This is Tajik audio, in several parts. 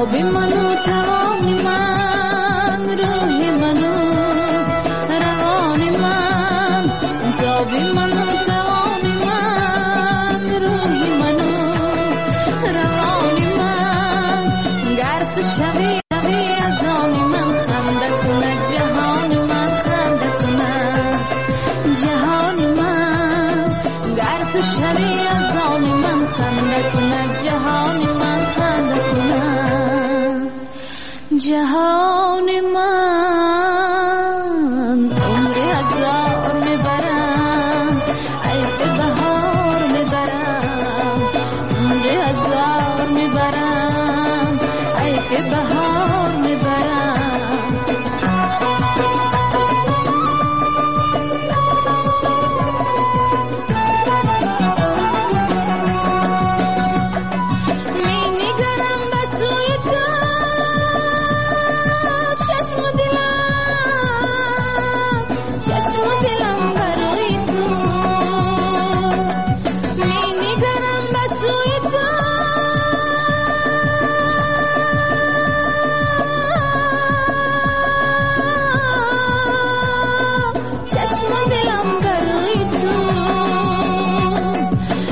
آب من و توان من، روح من و روان من، تاب من و توان من، روح من و روان من. گر تو شوی از آن من، خنده کند جهان من، خنده کند جهان من. گر تو شوی از آن من، خنده کند جهان من، خنده کند جهان من. عمر هزار میبرم، حیف بهار میبرم، عمر هزار میبرم، حیف بهار میبرم. می نگرم به سوی تو چشم و دلم، چشم و دلم برای تو. می نگرم به سوی تو چشم و دلم برای تو.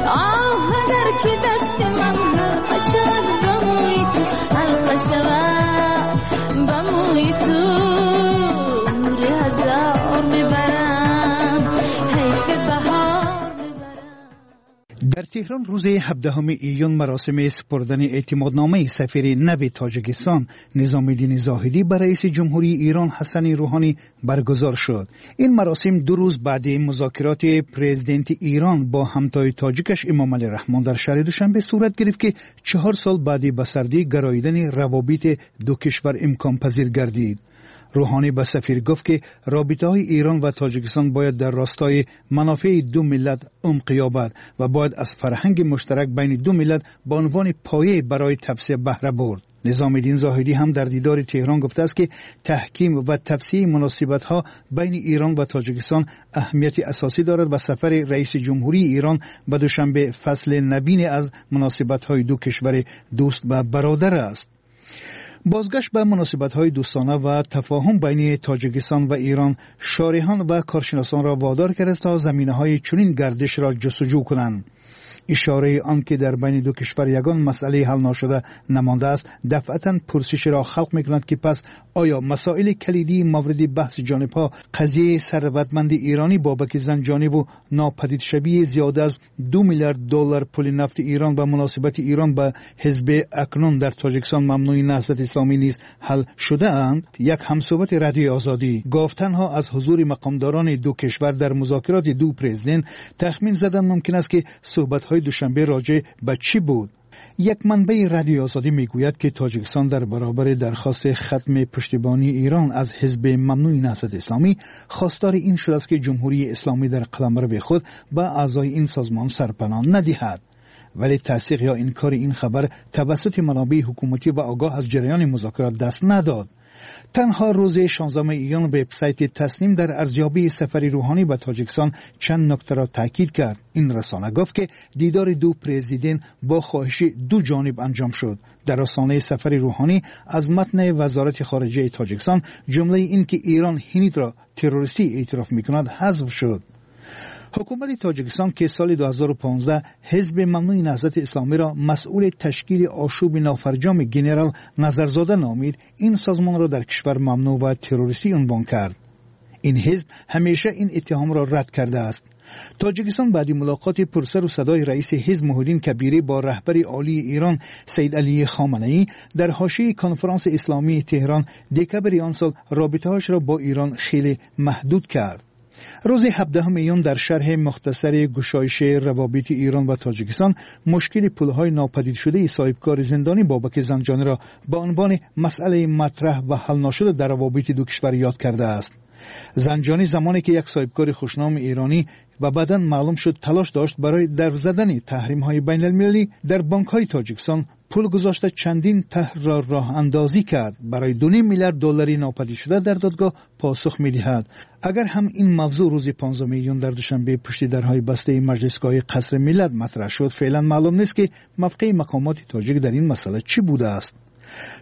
آه اگر که دست من حلقه شود به موی تو، حلقه شود به موی تو، عمر هزار میبرم، حیف بهار میبرم. در تهران روز 17 ایون مراسم سپردن اعتمادنامه سفیر نو تاجیکستان نظام‌الدین زاهدی به رئیس جمهوری ایران حسن روحانی برگزار شد. این مراسم 2 روز بعد مذاکرات پرزیدنت ایران با همتای تاجیکش امام علی رحمان در شهر دوشنبه صورت گرفت که 4 سال بعد به سردی گراییدن روابط دو کشور امکان پذیر گردید. روحانی به سفیر گفت که رابطه های ایران و تاجیکستان باید در راستای منافع دو ملت عمق یابد و باید از فرهنگ مشترک بین دو ملت به عنوان پایه برای توسعه بهره برد. نظام‌الدین زاهدی هم در دیدار تهران گفته است که تحکیم و توسعه مناسبت‌ها بین ایران و تاجیکستان اهمیت اساسی دارد و سفر رئیس جمهوری ایران به دوشنبه فصل نوین از مناسبت‌های دو کشور دوست و برادر است. بازگشت به مناسبت‌های دوستانه و تفاهم بین تاجیکستان و ایران شارحان و کارشناسان را وادار کرد تا زمینه‌های چنین گردش را جستجو کنند. اشاره آن که در بین دو کشور یگان مسئله حل ناشده نمانده است، دفعتاً پرسش را خلق می‌کند که پس آیا مسائل کلیدی مورد بحث جانب‌ها قضیه ثروتمند ایرانی بابک زنجانی و ناپدید شوی زیاد از 2 میلیارد دلار پول نفت ایران و مناسبت ایران به حزب اکنون در تاجیکستان ممنوع نهضت اسلامی نیز حل شده اند؟ یک همصحبت رادیو آزادی گفت تنها از حضور مقامداران دو کشور در مذاکرات دو پرزیدنت تخمین زدن ممکن است که صحبت‌های دوشنبه راجع به چی بود. یک منبع رادیو آزادی میگوید که تاجیکستان در برابر درخواست ختم پشتیبانی ایران از حزب ممنوع نهضت اسلامی خواستار این شده است که جمهوری اسلامی در قلمرو خود به اعضای این سازمان سرپناه ندهد. ولی تصدیق یا انکار این خبر توسط منابع حکومتی و آگاه از جریان مذاکرات دست نداد. تنها روز 16 ایون وبسایت تسنیم در ارزیابی سفر روحانی به تاجیکستان چند نکته را تاکید کرد. این رسانه گفت که دیدار دو پرزیدنت با خواهش دو جانب انجام شد. در رسانه سفر روحانی از متن وزارت خارجه تاجیکستان جمله این که ایران هند را تروریستی اعتراف می‌کند حذف شد. حکومت تاجیکستان که سال 2015 حزب ممنوع نهضت اسلامی را مسئول تشکیل آشوب نافرجام گنرال نظرزاده نامید، این سازمان را در کشور ممنوع و تروریستی عنوان کرد. این حزب همیشه این اتهام را رد کرده است. تاجیکستان بعد ملاقات پرسر و صدای رئیس حزب محی‌الدین کبیری با رهبر عالی ایران سید علی خامنه‌ای در حاشیه کنفرانس اسلامی تهران دکبر آن سال رابطه‌اش را با ایران خیلی محدود کرد. روز 17 ایون در شرح مختصر گشایش روابط ایران و تاجیکستان مشکل پولهای ناپدید شده صاحبکار زندانی بابک زنجانی را به عنوان مسئله مطرح و حل ناشده در روابط دو کشور یاد کرده است. زنجانی زمانی که یک صاحبکار خوشنام ایرانی و بعداً معلوم شد تلاش داشت برای در زدن تحریم‌های بین‌المللی در بانک‌های تاجیکستان پول گذاشته چندین طرح را راه اندازی کرد، برای 2.5 میلیارد دلاری ناپدید شده در دادگاه پاسخ می‌دهد. اگر هم این موضوع روز 15 ایون در دوشنبه پشت درهای بسته مجلسگاه قصر ملت مطرح شد، فعلا معلوم نیست که موقع مقامات تاجیک در این مسئله چی بوده است.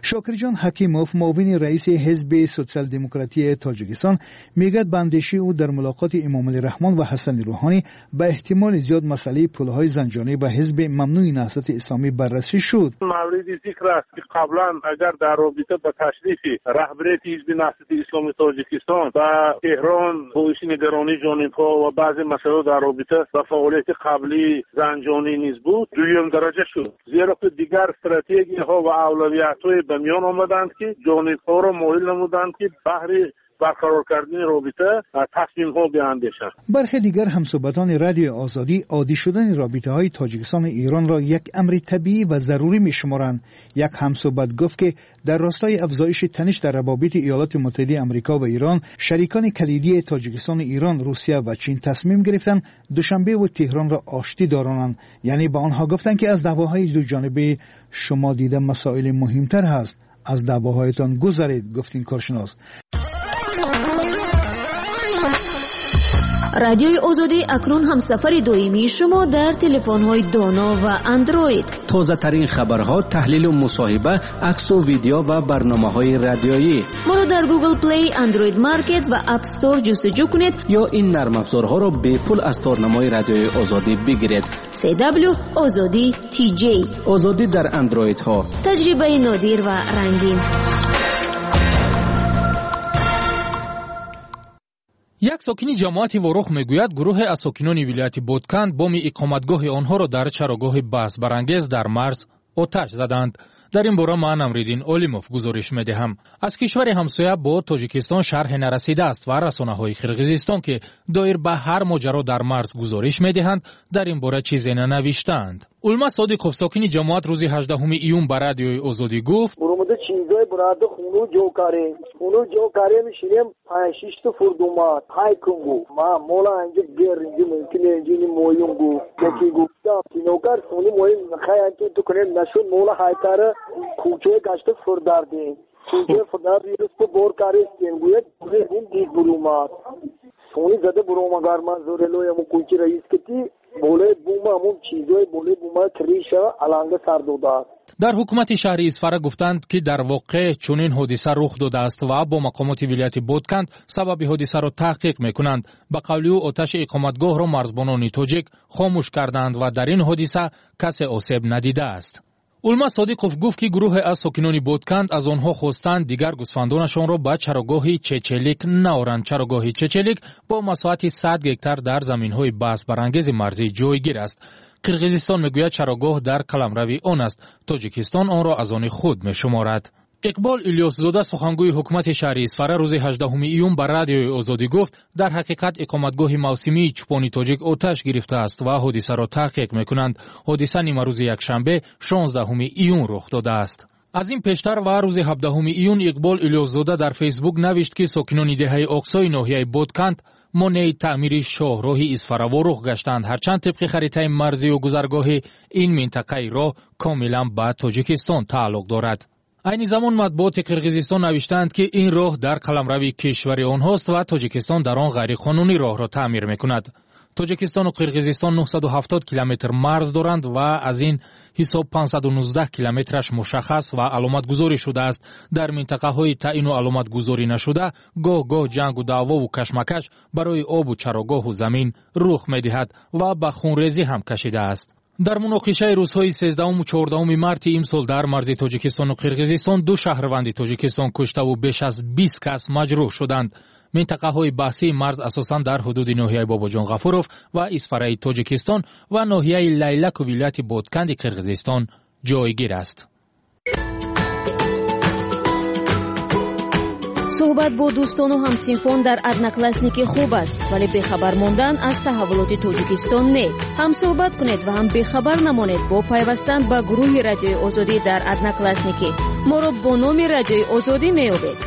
Шокирҷон Ҳакимов, муовини раиси ҳизби Социал-демократии Тоҷикистон, мегӯяд, ба андешаи ӯ дар мулоқоти Эмомалӣ Раҳмон ва Ҳасани Рӯҳонӣ ба эҳтимоли зиёд масъалаи пулҳои Занҷонӣ ба ҳизби мамнӯи Наҳзати Исломӣ баррасӣ шуд. Мавриди зикр аст, ки қаблан агар дар робита ба ташрифи раҳбарияти ҳизби Наҳзати Исломии Тоҷикистон ба Теҳрон боиси нигаронии ҷонибҳо ва баъзе масъалаҳо дар робита ба фаъолияти қаблии Занҷонӣ низ буд, дуюм дараҷа шуд, зеро ки дигар стратегияҳо ва авлавиятҳое ба миён омаданд, ки ҷонибҳоро моил намуданд, ки баҳри барқарор кардани робита тасмимҳо биандешанд. Бархе дигар ҳамсӯҳбатони Радиои Озодӣ оддӣ шудани робитаҳои Тоҷикистону Эронро як амри табиӣ ва зарурӣ мешуморанд. Як ҳамсӯҳбат гуфт, ки дар ростои афзоиши таниш дар равобити Иёлоти Муттаҳидаи Амрико ва Эрон, шарикони калидии Тоҷикистону Эрон, Русия ва Чин тасмим гирифтанд Душанбе ву Теҳронро оштӣ доронанд. Яъне ба онҳо гуфтанд, ки аз даъвоҳои дуҷонибаи шумо дида масоили муҳимтар ҳаст, аз даъвоҳоятон гузаред, гуфт ин коршинос. Радиои Озодӣ акнун ҳамсафари доимии шумо дар телефонҳои доно ва Андроид. Тозатарин хабарҳо, таҳлилу мусоҳиба, аксу видео ва барномаҳои радиоӣ. Моро дар Google Play, Android Market ва App Store ҷустуҷӯ кунед ё ин нармафзорҳоро бепул аз торнамои Радиои Озодӣ бигиред. CW Озодӣ TJ. Озодӣ дар андроидҳо. Таҷрибаи нодир ва рангин. Як сокини ҷамоати Ворух мегӯяд, гурӯҳе аз сокинони вилояти Ботканд боми иқоматгоҳи онҳоро дар чарогоҳи баҳсбарангез дар марз оташ заданд. Дар ин бора ман, Амриддин Олимов, гузориш медиҳам. Аз кишвари ҳамсоя бо Тоҷикистон шарҳе нарасидааст ва расонаҳои Қирғизистон, ки доир ба ҳар моҷаро дар марз гузориш медиҳанд, дар ин бора чизе нанавиштаанд. Улма Содиқов, сокини ҷамоат, рӯзи 18 июн ба Радиои Озодӣ гуфт: Буромада чизое бурада хуну ҷо карем, хуну ҷо карем, шинем, панҷ шишта фурдумад ҳай кун гу ма мола анҷа гер инҷа мумкин инҷа ни моюм гу яки гуфта кинокар хуни моюм хай анҷа ту кунем нашуд, мола ҳайкара кӯчаи гашта фурдардем, кӯчаи фурдар вирус бор карестем гӯяд дид бурумад сони зада буромагар ман зорелояму кӯчи раис кити болои бума ҳамун чизои болои бума криша аланга сар додааст. Дар ҳукумати шаҳри Исфара гуфтанд, ки дар воқеъ чунин ҳодиса рух додааст ва бо мақомоти вилояти Ботканд сабаби ҳодисаро таҳқиқ мекунанд. Ба қавли ӯ, оташи иқоматгоҳро марзбонони тоҷик хомӯш карданд ва дар ин ҳодиса касе осеб надидааст. Улма Содиқов гуфт, ки гурӯҳе аз сокинони Ботканд аз онҳо хостанд дигар гӯсфандонашонро ба чарогоҳи Чечелик наоранд. Чарогоҳи Чечелик бо масоҳати 100 гектар дар заминҳои баҳсбарангези марзӣ ҷойгир аст. Қирғизистон мегӯяд, чарогоҳ дар қаламрави он аст. Тоҷикистон онро аз они худ мешуморад. Иқбол Илёсзода, сухангӯи ҳукумати шаҳри Исфара, рӯзи 18 июн ба Радиои Озодӣ гуфт, дар ҳақиқат иқоматгоҳи мавсимии чӯпони тоҷик оташ гирифтааст ва ҳодисаро таҳқиқ мекунанд. Ҳодиса нимарӯзи якшанбе, 16 июн рух додааст. Аз ин пештар ва рӯзи 17 июн Иқбол Илёсзода дар Фейсбук навишт, ки сокинони деҳаи Оқсои ноҳияи Ботканд монеи таъмири шоҳроҳи Исфара-Ворух гаштанд, ҳарчанд тибқи харитаи марзию гузаргоҳи ин минтақаи роҳ комилан ба Тоҷикистон тааллуқ дорад. Айни замон матбуоти Қирғизистон навиштаанд, ки ин роҳ дар қаламрави кишвари онҳост ва Тоҷикистон дар он ғайриқонунӣ роҳро таъмир мекунад. Тоҷикистону Қирғизистон 970 километр марз доранд ва аз ин ҳисоб 519 километраш мушаххас ва аломатгузорӣ шудааст. Дар минтақаҳои таъину аломатгузорӣ нашуда гоҳ-гоҳ ҷангу даъвову кашмакаш барои обу чарогоҳу замин рух медиҳад ва ба хунрезӣ ҳам кашидааст. Дар муноқишаи рӯзҳои 13-у 14-уми марти имсол дар марзи Тоҷикистону Қирғизистон ду шаҳрванди Тоҷикистон куштаву беш аз 20 кас маҷрӯҳ шуданд. Минтақаҳои баҳсии марз асосан дар ҳудуди ноҳияи Бобоҷон Ғафуров ва Исфараи Тоҷикистон ва ноҳияи Лайлаку вилояти Ботканди Қирғизистон ҷойгир аст. Суҳбат бо дӯстону ҳамсинфон дар Одноклассники хуб аст, вале бехабар мондан аз таҳаввулоти Тоҷикистон не. Ҳам суҳбат кунед ва ҳам бехабар намонед бо пайвастан ба гурӯҳи Радиои Озодӣ дар Одноклассники. Моро бо номи Радиои Озодӣ меёбед.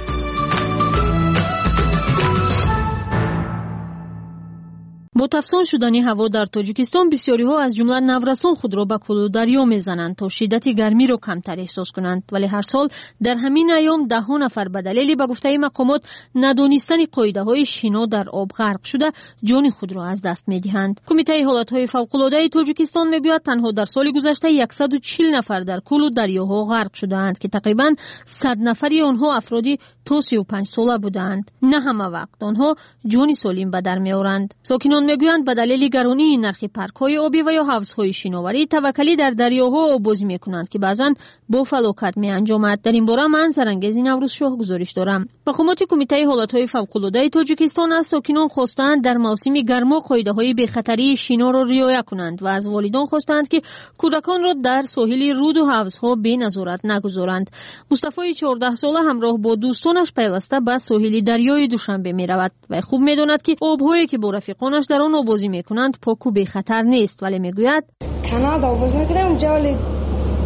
Бо Бо тафсон шудани ҳаво дар Тоҷикистон бисёриҳо аз ҷумла наврасон худро ба кӯлу дарё мезананд, то шиддати гармиро камтар эҳсос кунанд. Вале ҳар сол дар ҳамин айём даҳҳо нафар ба далели, ба гуфтаи мақомот, надонистани қоидаҳои шино дар об ғарқ шуда, ҷони худро аз даст медиҳанд. Кумитаи ҳолатҳои фавқулодаи Тоҷикистон мегӯяд, танҳо дар соли гузашта 140 нафар дар кӯлу дарёҳо ғарқ шудаанд, ки тақрибан 100 нафари онҳо афроди то 35 сола будаанд. На ҳама вақт онҳо ҷони солим ба дар меоранд. Сокинон мегӯянд, ба далели гаронии нархи паркҳои обӣ ва ё ҳавзҳои шиноварӣ таваккалӣ дар дарёҳо оббозӣ мекунанд, ки баъзан бо фалокат меанҷомад. Дар ин бора ман Зарангези Наврӯзшоҳ гузориш дорам. Мақомоти Кумитаи ҳолатҳои фавқулодаи Тоҷикистон аз сокинон хостаанд дар мавсими гармо қоидаҳои бехатарии шиноро риоя кунанд ва аз волидон хостаанд, ки кӯдаконро дар соҳили руду ҳавзҳо беназорат нагузоранд. Мустафои 14сола ҳамроҳ бо дӯстонаш пайваста ба соҳили дарёи Душанбе меравад ва хуб медонад, ки обҳое ки бо рафиқонаш дар он обозӣ мекунанд, поку бехатар нест, вале мегӯяд: Канал обоз мекунем, ҷоли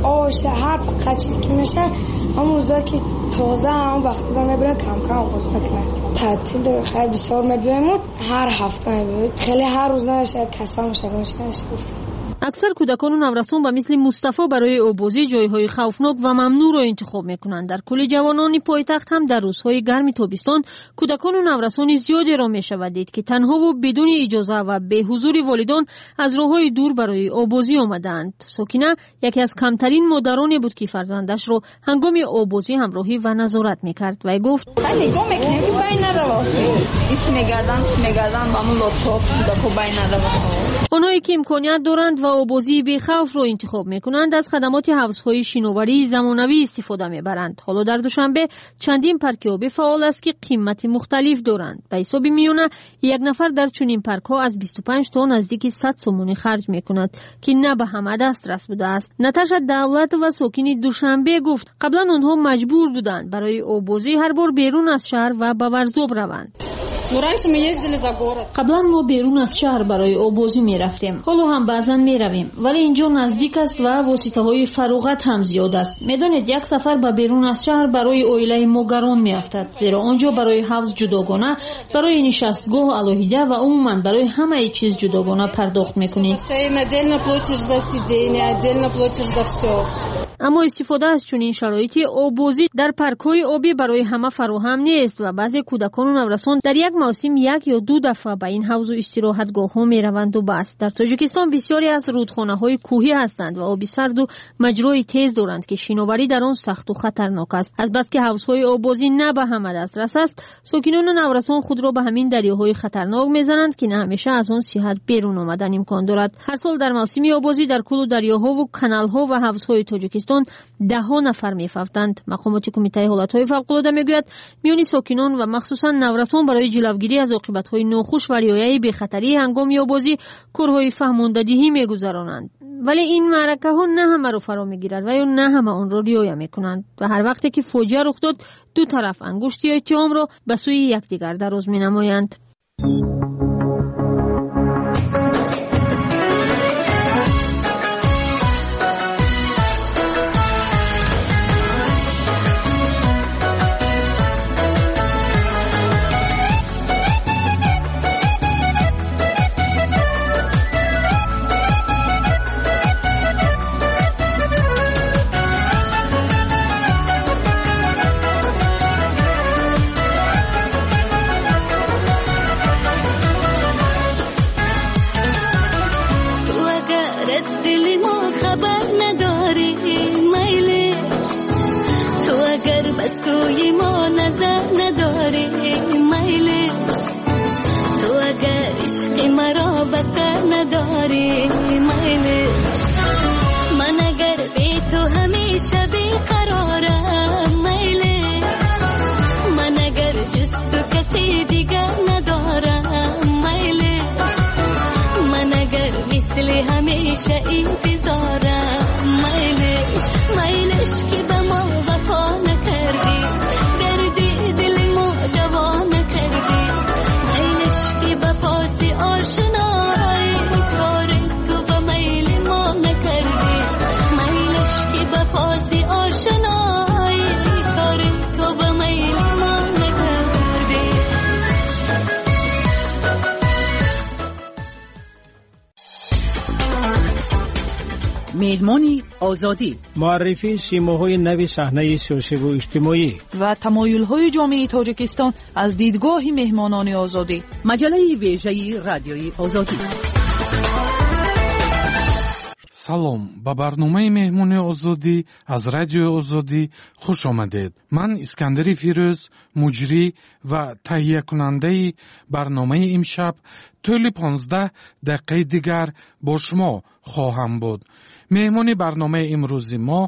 ош ҳар фақат чиз ки меша, ҳамон рӯзое ки тоза, ҳамон вақт мебарем, кам-кам обоз мекунем. Таътил хеле бисёр мебиёем, ҳар ҳафта мебиёем, хеле ҳар рӯз намешавад, касал мешавад. Аксар кӯдакону наврасон ба мисли Мустафо барои оббозӣ ҷойҳои хавфнок ва мамнӯъро интихоб мекунанд. Дар кӯли ҷавонони пойтахт ҳам дар рӯзҳои гарми тобистон кӯдакону наврасони зиёдеро мешавад дид, ки танҳову бидуни иҷоза ва беҳузури волидон аз роҳҳои дур барои оббозӣ омадаанд. Сокина яке аз камтарин модароне буд, ки фарзандашро ҳангоми оббозӣ ҳамроҳӣ ва назорат мекард. Вай гуфт: Нигоҳ мекунем, ки бай нарава, ис мегарданд, мегарданд ба ҳамун лодкаҳо, кӯдако бай нарава. Онҳое ки имконият доранд ва обозии бехавфро интихоб мекунанд, аз хадамоти ҳавзҳои шиноварии замонавӣ истифода мебаранд. Ҳоло дар Душанбе чандин парки обӣ фаъол аст, ки қимати мухталиф доранд. Ба ҳисоби миёна як нафар дар чунин паркҳо аз 25 то наздики 100 сомонӣ харҷ мекунад, ки на ба ҳама дастрас будааст. Наташа Давлатова, сокини Душанбе, гуфт, қаблан онҳо маҷбур буданд барои оббозӣ ҳар бор берун аз шаҳр ва ба Варзоб раванд. Қаблан мо берун аз шаҳр барои оббозӣ мерафтем, ҳоло ҳам баъзан меравем, вале инҷо наздик аст ва воситаҳои фароғат ҳам зиёд аст. Медонед, як сафар ба берун аз шаҳр барои оилаи мо гарон меафтад, зеро он ҷо барои ҳавз ҷудогона, барои нишастгоҳ алоҳида ва умуман барои ҳамаи чиз ҷудогона пардохт мекунӣ. Аммо истифода аз чунин шароити оббозӣ дар паркҳои обӣ барои ҳама фароҳам нест ва баъзе кӯдакону наврасон дар як мавсим як ё ду дафъа ба ин ҳавзу истироҳатгоҳҳо мераванду бас. Дар Тоҷикистон бисёре аз рудхонаҳои кӯҳӣ ҳастанд ва оби сарду маҷрои тез доранд, ки шиноварӣ дар он сахту хатарнок аст. Азбаски ҳавзҳои оббозӣ на ба ҳама дастрас аст, сокинону наврасон худро ба ҳамин дарёҳои хатарнок мезананд, ки на ҳамеша аз он сиҳат берун омадан имкон дорад. Ҳар сол дар мавсими оббозӣ дар кӯлу дарёҳову каналҳо ва ҳавзҳои Тоҷикистон даҳҳо нафар мефавтанд. Мақомоти Кумитаи ҳолатҳои фавқулода мегӯяд, миёни сокинон ва махсусан наврасон барои ҷилавгирӣ аз оқибатҳои нохуш ва риояи бехатарии ҳангоми оббозӣ корҳои фаҳмондадиҳӣ мегузаронанд. Вале ин маъракаҳо на ҳамаро фаро мегирад ва ё на ҳама онро риоя мекунанд ва ҳар вақте ки фоҷиа рух дод, ду тараф ангушти иттиҳомро ба сӯи якдигар дароз менамоянд. Меҳмони Озодӣ. Муаррифии симоҳои нави саҳнаи сиёсиву иҷтимоӣ ва тамоюлҳои ҷомеаи Тоҷикистон аз дидгоҳи меҳмонони Озодӣ. Маҷаллаи вежаи Радиои Озодӣ. Салом, ба барномаи Меҳмони Озодӣ аз Радиои Озодӣ хуш омадед. Ман Искандари Фирӯз, муҷрӣ ва таҳиякунандаи барномаи имшаб, тӯли 15 дақиқаи дигар бо шумо хоҳам буд. Меҳмони барномаи имрӯзи мо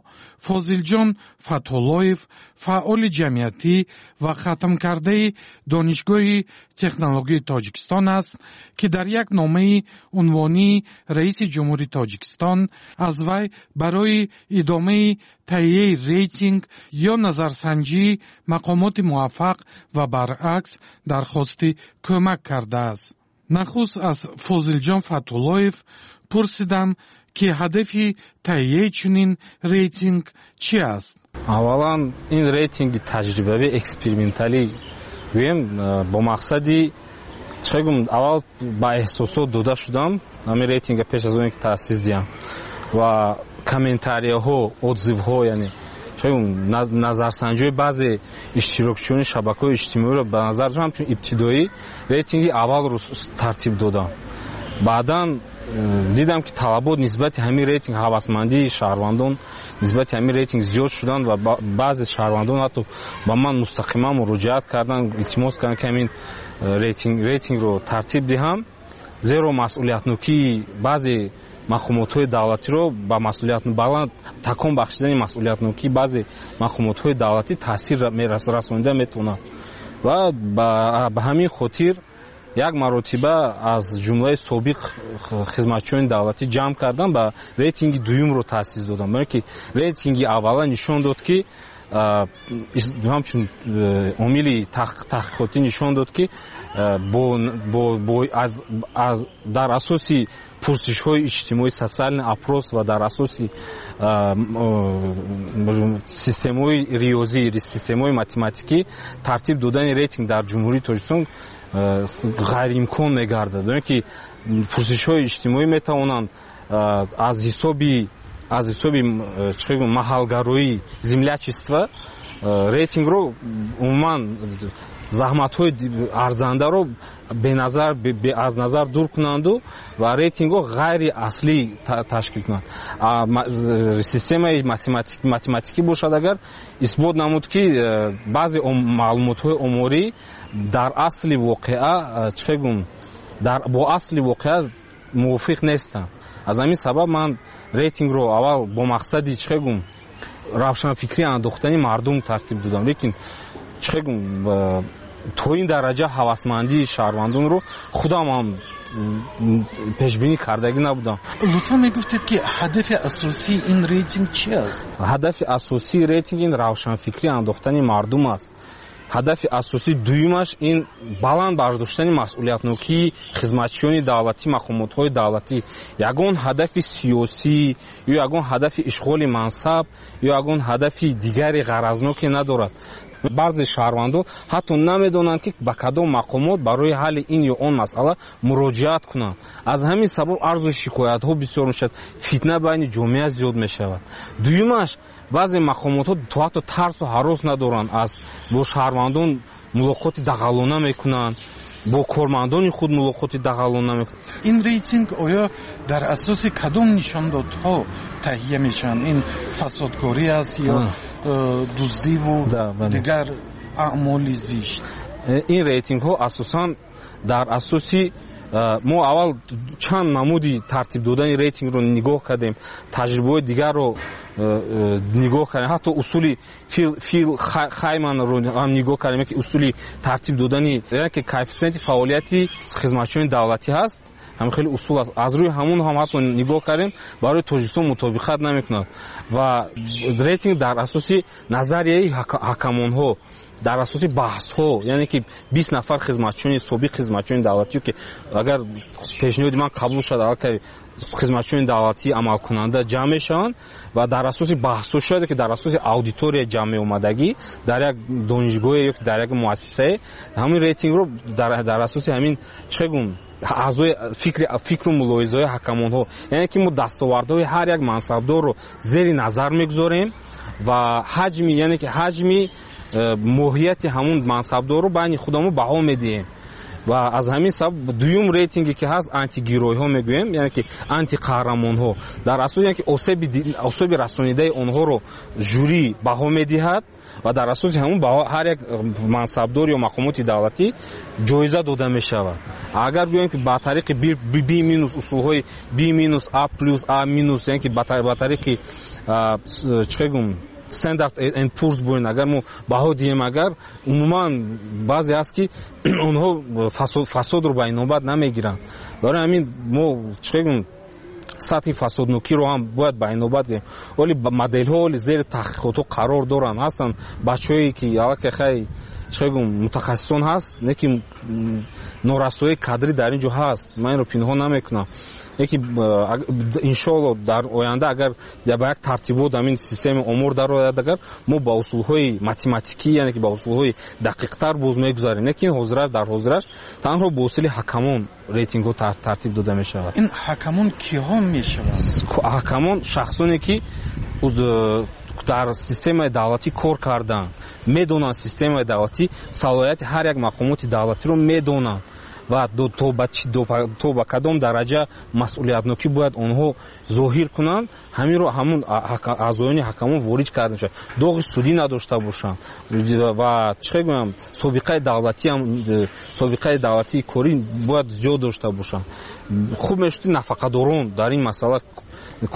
Фозилҷон Фатҳуллоев, фаъоли ҷамъиятӣ ва хатмкардаи Донишгоҳи технологияи Тоҷикистон аст, ки дар як номаи унвонии раиси ҷумҳури Тоҷикистон аз вай барои идомаи таҳияи рейтинг ё назарсанҷии мақомоти муваффақ ва баръакс дархости кӯмак кардааст. Нахуст аз Фозилҷон Фатҳуллоев пурсидам, ки ҳадафи таҳияи чунин рейтинг чӣ аст? Аввалан, ин рейтинги таҷрибавӣ, эксперименталӣ гӯем, бо мақсади чӣ гум, аввал ба эҳсосот дода шудам ҳамин рейтинга пеш аз оне ки таъсис диҳам, ва комментарияҳо, отзывҳо, яъне назарсанҷиҳои баъзе иштирокчиёни шабакаҳои иҷтимоиро ба назар дошта, ҳамчун ибтидоӣ рейтинги аввалро тартиб додам. Баъдан дидам, ки талабот нисбати ҳамин рейтинг, ҳавасмандии шаҳрвандон нисбати ҳамин рейтинг зиёд шуданд ва баъзе шаҳрвандон ҳатто ба ман мустақиман муроҷиат карданд, илтимос карданд, ки ҳамин рейтингро тартиб диҳам, зеро масъулиятнокии баъзе мақомотҳои давлатиро ба масъулият баланд такон бахшидани масъулиятнокии баъзе мақомотҳои давлатӣ таъсир расонида метавонад. Ва ба ҳамин хотир як маротиба аз ҷумлаи собиқ хизматчиёни давлатӣ ҷамъ кардам ба рейтинги дуюмро таъсис додам, барое ки рейтинги аввала нишон дод, ки ҳамчун омили таҳқиқотӣ нишон дод, ки дар асоси пурсишҳои иҷтимоӣ, социальный опрос, ва дар асоси системаҳои риёзӣ, системаҳои математикӣ тартиб додани рейтинг дар Ҷумҳурии Тоҷикистон ғайриимкон мегардад, оне ки пурсишҳои иҷтимоӣ метавонанд аз ҳисоби маҳалгароӣ, землячество, рейтингро, умуман заҳматҳои арзандаро беназар аз назар дур кунанду ва рейтингҳо ғайри аслӣ ташкил кунанд. Системаи математикӣ бошад, агар исбот намуд, ки баъзе маълумотҳои оморӣ дар асли воқеа, чӣ гум, бо асли воқеа мувофиқ нестанд. Аз ҳамин сабаб ман рейтингро аввал бо мақсади, чӣ гум, равшанфикрӣ андохтани мардум тартиб додам, лекин, чӣ гум, то ин дараҷа ҳавасмандии шаҳрвандонро худам ҳам пешбинӣ кардагӣ набудам. Лутфан мегуфтед, ки ҳадафи асосии ин рейтинг чи аст? Ҳадафи асосии рейтинг ин равшанфикрӣ андохтани мардум аст. Ҳадафи асосии дуюмаш ин баланд бардоштани масъулиятнокии хизматчиёни давлатӣ, мақомотҳои давлатӣ. Ягон ҳадафи сиёсӣ ё ягон ҳадафи ишғоли мансаб ё ягон ҳадафи дигари ғаразноке надорад. Баъзе шаҳрвандон ҳатто намедонанд, ки ба кадом мақомот барои ҳалли ин ё он масъала муроҷиат кунанд. Аз ҳамин сабаб арзу шикоятҳо бисёр мешавад, фитна байни ҷомеа зиёд мешавад. Дуюмаш, баъзе мақомотҳо то ҳатто тарсу ҳарос надоранд, аз бо шаҳрвандон мулоқоти дағалона мекунанд, бо кормандони худ мулоқоти дағалона мекунанд. Ин рейтинг оё дар асоси кадом нишондодҳо таҳия мешаванд? Ин фасодкорӣ аст ё дуздиву дигар аъмоли зишт? Ин рейтингҳо асосан дар асоси, мо аввал чанд намуди тартиб додани рейтингро нигоҳ кардем, таҷрибаҳои дигарро нигоҳ кардем, ҳатто усули Фил Хайманро ҳам нигоҳ кардем, ки усули тартиб додани, ки коэффисиенти фаъолияти хизматчиёни давлатӣ ҳаст, ҳамин хеле усул аст. Аз рӯи ҳамон ҳам ҳатто нигоҳ кардем, барои Тоҷикистон мутобиқат намекунад. Ва рейтинг дар асоси назарияи ҳакамонҳо Дар асоси баҳсҳо, яъне ки 20 нафар хизматчиёни собиқ, хизматчиёни давлатӣ, ки агар пешниҳоди ман қабул шуд, аллакай хизматчиёни давлатӣ амалкунанда ҷамъ мешаванд ва дар асоси баҳсҳо шояд ки дар асоси аудитория ҷамъ меомадагӣ дар як донишгоҳе ё дар як муассисае, ҳамин рейтингро дар асоси ҳамин, чӣ гум, аъзои фикру мулоҳизаҳои ҳакамонҳо, яъне ки мо дастовардҳои ҳар як мансабдорро зери назар мегузорем ва ҳаҷми, яъне ки ҳаҷми моҳияти ҳамун мансабдорро байни худамон баҳо медиҳем. Ва аз ҳамин сабаб дуюм рейтинге ки ҳаст, антигеройҳо мегӯем, яъне ки антиқаҳрамонҳо, дар асос яъне ки осеби расонидаи онҳоро жюри баҳо медиҳад ва дар асоси ҳамун ҳар як мансабдор ё мақомоти давлатӣ ҷоиза дода мешавад. Агар гӯем ки ба тариқи B минус, усулҳои B минус, А плюс, А минус, яъне ки ба тариқи, чӣ гум, Standard and Poor's буин, агар мо баҳо диҳем, агар умуман баъзе ҳаст ки онҳо фасодро ба инобат намегиранд. Барои ҳамин мо, чӣ гум, сатҳи фасоднокиро ҳам бояд ба инобат гирем. Оли моделҳо оли зери таҳқиқотҳо қарор доранд, ҳастанд бачаҳое ки аллакай хай, чӣ гум, мутахассисон ҳаст, не ки норасоии кадрӣ дар ин ҷо ҳаст, ман инро пинҳон намекунам. Яки иншоалло дар оянда агар ба як тартибот ҳамин системаи омор дарояд, агар мо ба усулҳои математикӣ, яъне ки ба усулҳои дақиқтар боз мегузарем. Лекин ҳозираш, дар ҳозираш танҳо бо усули ҳакамон рейтингҳо тартиб дода мешавад. Ин ҳакамон киҳо мешаванд? Ҳакамон шахсоне ки дар системаи давлатӣ кор карданд, медонанд системаи давлатӣ, салоҳияти ҳар як мақомоти давлатиро медонанд ва то ба кадом дараҷа масъулиятнокӣ бояд онҳо зоҳир кунанд, ҳаминро ҳамун аъзоёни ҳакамон ворид карда мешавад. Доғи судӣ надошта бошанд ва, чӣ гӯям, собиқаи давлатиам, собиқаи давлатии корӣ бояд зиёд дошта бошанд. Хуб мешуд нафақадорон дар ин масъала,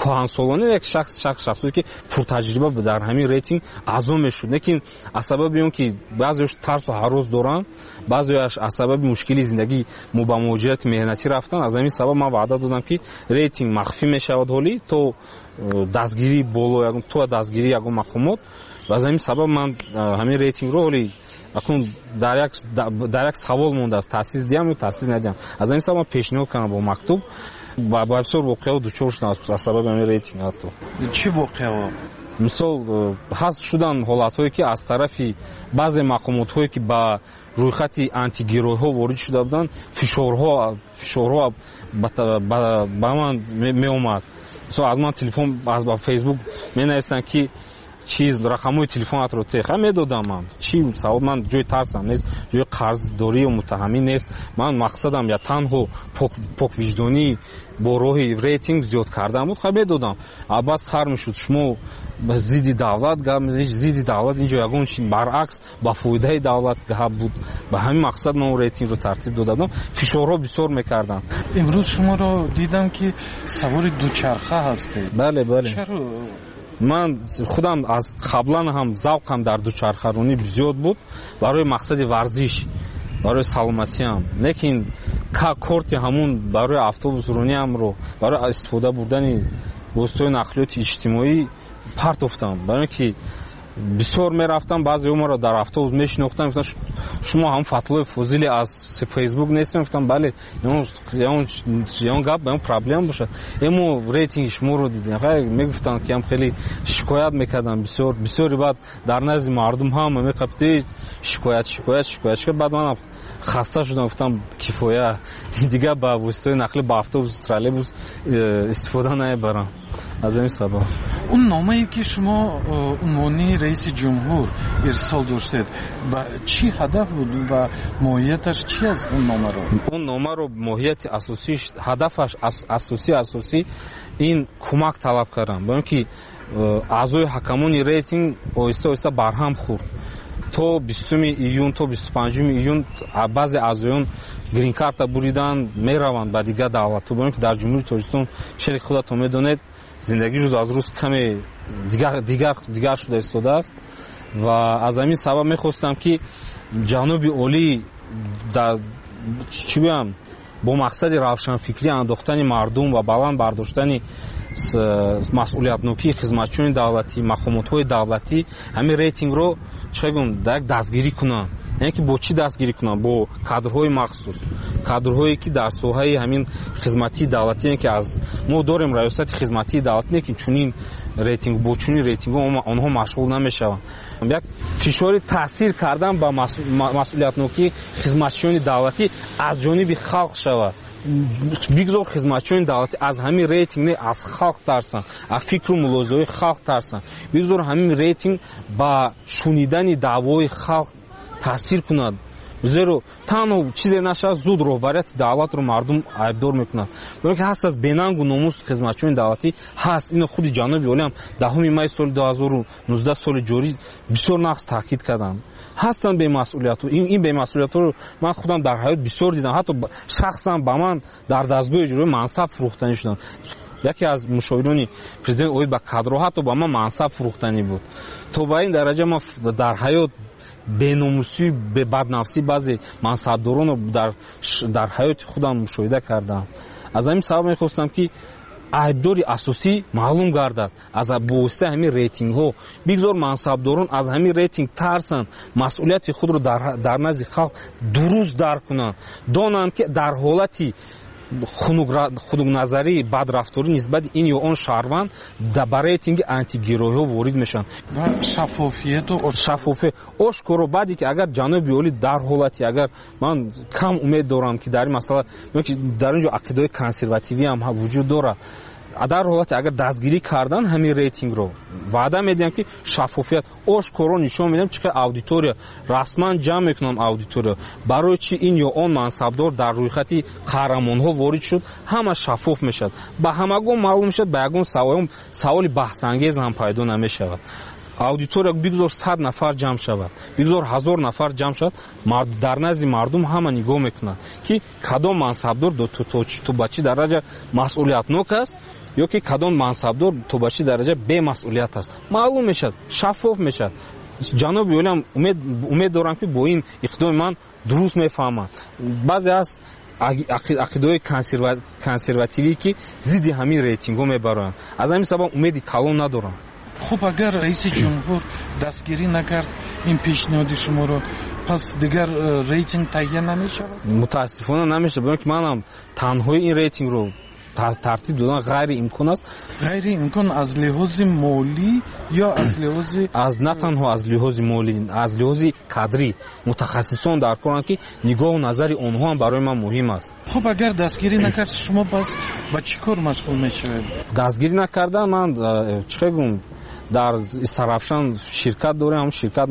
кӯҳансолоне, як шахсое ки пуртаҷриба дар ҳамин рейтинг аъзо мешуд. Лекин аз сабаби он ки баъзеаш тарсу ҳарос доранд, баъзеаш аз сабаби мушкили зиндагӣ мо ба муҳоҷирати меҳнатӣ рафтанд, аз ҳамин сабаб ман ваъда додам ки рейтинг махфӣ мешавад ҳолӣ то дастгирии боло, то дастгирии ягон мақомот. Ва аз ҳамин сабаб ман ҳамин рейтингро ҳоли акнун дар як савол мондааст, таъсис диҳам ё таъсис надиҳам. Аз ҳамин сабаб ман пешниҳод кардам бо мактуб. Ба бисёр воқеаҳо дучор шудам аз сабаби ҳамин рейтинг. Ҳатто чӣ воқеаҳо? Мисол, ҳаст шудан ҳолатҳое ки аз тарафи баъзе мақомотҳое ки ба рӯйхати антигеройҳо ворид шуда буданд, фишорҳо ба ман меомад. Мисол, аз ман телефон, аз ба Фейсбук менависанд ки чиз, рақамҳои телефонатро теха медодам ман. Чӣ савоб, ман ҷои тарсам нест, ҷои қарздорӣ ё муттаҳамӣ нест. Ман мақсадам я танҳо поквиҷдонӣ бо роҳи рейтинг зиёд кардан буд, ха медодам. А баъд сар мешуд, шумо зидди давлат гап мезанед, зидди давлат инҷо ягон чи, баръакс ба фоидаи давлат гап буд. Ба ҳамин мақсад ман он рейтингро тартиб дода будам. Фишорҳо бисёр мекарданд. Имрӯз шуморо дидам ки савори дучарха ҳастед. Бале, бале. Чаро? Ман худам аз қаблан ҳам завқам дар дучархаронӣ зиёд буд, барои мақсади варзиш, барои саломатиам. Лекин корти ҳамун барои автобусрониамро, барои истифода бурдани воситаҳои нақлиёти иҷтимоӣ партофтам. Барои ин ки бисёр мерафтам, баъзеҳо маро дар автобус мешинохтанд, мегуфтанд шумо ҳам Фатлои Фозили аз Фейсбук нестем? Гуфтам бале. Ягон гап, ягон проблема бошад? Мо рейтинги шуморо дидем. Хай, мегуфтанд ки ҳам хеле шикоят мекарданд бисёр, бисёри баъд дар назди мардум ҳама меқапид, шикоят, шикоят, шикоят, шикоят. Баъд манам хаста шудам, гуфтам кифоя, дигар ба воситаҳои нақлӣ, ба автобус, троллейбус истифода намебарам. Аз ҳамин сабаб. Он номае ки шумо унвони раиси ҷумҳур ирсол доштед, ба чӣ ҳадаф буд ва моҳияташ чӣ аст он номаро? Он номаро моҳияти асосиш, ҳадафаш асосӣ ин кӯмак талаб кардан. Барои ин ки аъзои ҳакамони рейтинг оҳиста оҳиста барҳам хӯрд. То 20 июн, то 25 июн баъзе аъзоён грин-карта буридан, мераванд ба дигар давлатҳо. Барои ин ки дар Ҷумҳурии Тоҷикистон, чизе худатон медонед, зиндагӣ рӯз аз рӯз каме дигар шуда истодааст ва аз ҳамин сабаб мехостам ки ҷаноби олӣ дар, чӣ гӯям, Бо мақсади равшанфикрӣ андохтани мардум ва баланд бардоштани масъулиятнокии хизматчиёни давлатӣ, мақомотҳои давлатӣ ҳамин рейтингро чӣ гӯям, як дастгирӣ кунанд. Яъне ки бо чӣ дастгирӣ кунанд? Бо кадрҳои махсус, кадрҳое ки дар соҳаи ҳамин хизматии давлатӣ, яъне ки аз мо дорем раёсати хизматии давлатӣ, лекин чунин рейтинг, бо чунин рейтингҳо онҳо машғул намешаванд. Як фишори таъсир кардан ба масъулиятнокии хизматчиёни давлатӣ аз ҷониби халқ шавад. Бигзор хизматчиёни давлатӣ аз ҳамин рейтинг не, аз халқ тарсанд, аз фикру мулоҳизаҳои халқ тарсанд. Бигзор ҳамин рейтинг ба шунидани даъвои халқ таъсир кунад. Зеро танҳо чизе нашавад, зуд роҳбарияти давлатро мардум айбдор мекунад. Барои ки ҳаст аз бенангу номус хизматчиёни давлатӣ ҳаст. Ино худи ҷаноби олиам 10 май соли 2019 соли ҷорӣ бисёр нақс таъкид карданд. Ҳастанд бемасъулиятҳо. Ин бемасъулиятҳоро ман худам дар ҳаёт бисёр дидам. Ҳатто шахсан ба ман дар дастгоҳи иҷроӣ мансаб фурӯхтанӣ шуданд. Яке аз мушовирони президент оид ба кадрҳо ҳатто ба ман мансаб фурӯхтанӣ буд. То ба ин дараҷа ман дар ҳаёт беномусӣ, баднафсӣ баъзе мансабдоронро дар ҳаёти худам мушоҳида кардам. Аз ҳамин сабаб мехостам, ки айбдори асосӣ маълум гардад аз бовоситаи ҳамин рейтингҳо. Бигзор мансабдорон аз ҳамин рейтинг тарсанд, масъулияти худро дар назди халқ дуруст дарк кунанд, донанд, ки дар ҳолати хунукназарӣ, бадрафторӣ нисбати ин ё он шаҳрванд ба рейтинги антигеройҳо ворид мешаванд. Ва шаффофияту шаффофият ошкоро. Баъде ки агар ҷаноби олӣ дар ҳолати, агар ман кам умед дорам, ки дар ин масъала, дар ин ҷо ақидаҳои консервативӣ ҳам вуҷуд дорад, дар ҳолати агар дастгирӣ кардан ҳамин рейтингро, ваъда медиҳам, ки шаффофият ошкоро нишон медиҳам, чӣ қадр аудитория расман ҷамъ мекунам аудитория, барои чӣ ин ё он мансабдор дар рӯйхати қаҳрамонҳо ворид шуд, ҳама шаффоф мешавад, ба ҳамагон маълум мешавад, ба ягон саволи баҳсангез ҳам пайдо намешавад. Аудитория бигзор 100 нафар ҷамъ шавад, бигзор 1000 нафар ҷамъ шавад, дар назди мардум ҳама нигоҳ мекунанд, ки кадом мансабдор то ба чӣ дараҷа масъулиятнок аст ё ки кадом мансабдор то ба чӣ дараҷа бемасъулият аст. Маълум мешавад, шаффоф мешавад. Ҷаноби олиам умед дорам, ки бо ин иқдоми ман дуруст мефаҳманд. Баъзе аз ақидаҳои консервативӣ, ки зидди ҳамин рейтингҳо мебароянд, аз ҳамин сабаб умеди калон надорам. Хуб, агар раиси ҷумҳур дастгирӣ накард ин пешниҳоди шуморо, пас дигар рейтинг таҳия намешавад? Мутаассифона намешавад, барои ки манам танҳои ин рейтингро тартиб додан ғайриимкон аст. Ғайриимкон аз лиҳози молӣ ё аз лиҳози аз на танҳо аз лиҳози молӣ, аз лиҳози кадрӣ. Мутахассисон дар коранд, ки нигоҳу назари онҳо ҳам барои ман муҳим аст. Хуб, агар дастгирӣ накард, шумо пас ба чӣ кор машғул мешавед? Дастгирӣ накардан ман чӣ гӯям, дар Истарафшан ширкат дорем, ҳамон ширкат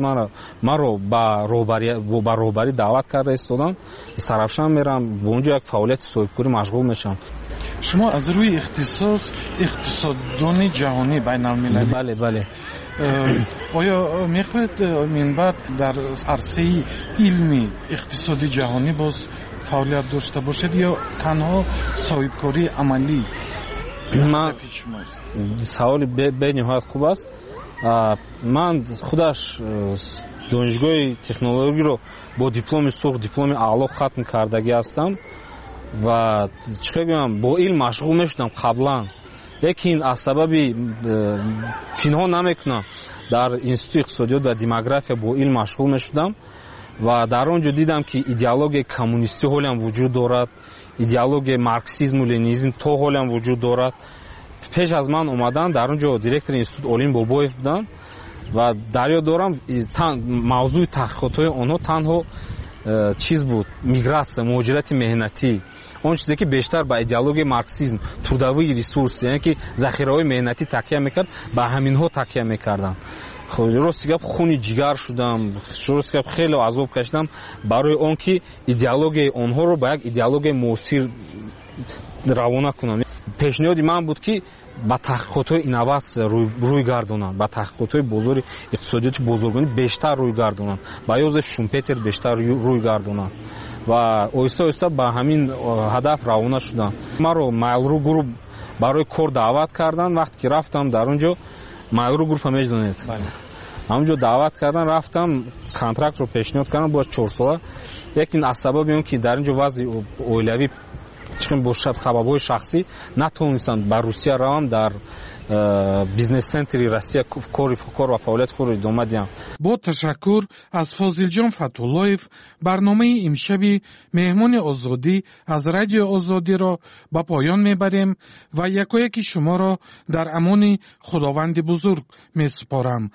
маро ба роҳбарӣ даъват карда истоданд. Истарафшан мерам, бо он ҷо як фаъолияти соҳибкорӣ машғул мешавам. Шумо аз рӯи ихтисос иқтисоддони ҷаҳонӣ, байналмилалӣ? Бале, бале. Оё мехоҳед минбаъд дар арсаи илми иқтисоди ҷаҳонӣ боз фаъолият дошта бошед ё танҳо соҳибкории амалӣ? Саволи бениҳоят хуб аст. Ман худаш донишгоҳи технологиро бо дипломи сурх, дипломи аъло хатм кардагӣ ҳастам ва чӣ гӯям, бо илм машғул мешудам қаблан, лекин аз сабаби пинҳон намекунам, дар институти иқтисодиёт ва демография бо илм машғул мешудам ва дар он ҷо дидам, ки идеологияи коммунистӣ ҳолиам вуҷуд дорад, идеологияи марксизму ленинизм то ҳолиам вуҷуд дорад. Пеш аз ман омадан дар он ҷо директори институт Олим Бобоев буданд ва дар ёд дорам, мавзӯи таҳқиқотҳои онҳо танҳо чиз буд: мигратсия, муҳоҷирати меҳнатӣ, он чизе ки бештар ба идеологияи марксизм, трудовые ресурсы, яъне ки захираҳои меҳнатӣ такя мекард, ба ҳаминҳо такя мекарданд. Рости гап, хуни ҷигар шудам, рости гап, хеле азоб кашидам барои он ки идеологияи онҳоро ба як идеологияи муосир равона кунам. Пешниҳоди ман буд, ки ба таҳқиқотҳои инноватсия рӯй гардонанд, ба таҳқиқотҳои бозори иқтисодиёти бозоргонӣ бештар рӯй гардонанд, ба Йозеф Шумпетер бештар рӯй гардонанд ва оҳиста оҳиста ба ҳамин ҳадаф равона шудам. Маро Mail.ru Group барои кор даъват карданд. Вақте ки рафтам дар он ҷо, Mail.ru Group медонед, Ҳамонҷо даъват кардан, рафтам, контрактро пешниҳод кардам, бояд 4 сола, лекин аз сабаби он ки дар ин ҷо вазъи оилавӣ чиқим, бо сабабҳои шахсӣ натавонистам ба Русия равам, дар бизнес-центри Россия кор ва фаъолияти худро идома диҳам. Бо ташаккур аз Фозилҷон Фатҳуллоев барномаи имшаби Меҳмони Озодӣ аз Радиои Озодиро ба поён мебарем ва якояки шуморо дар амони Худованди бузург месупорам.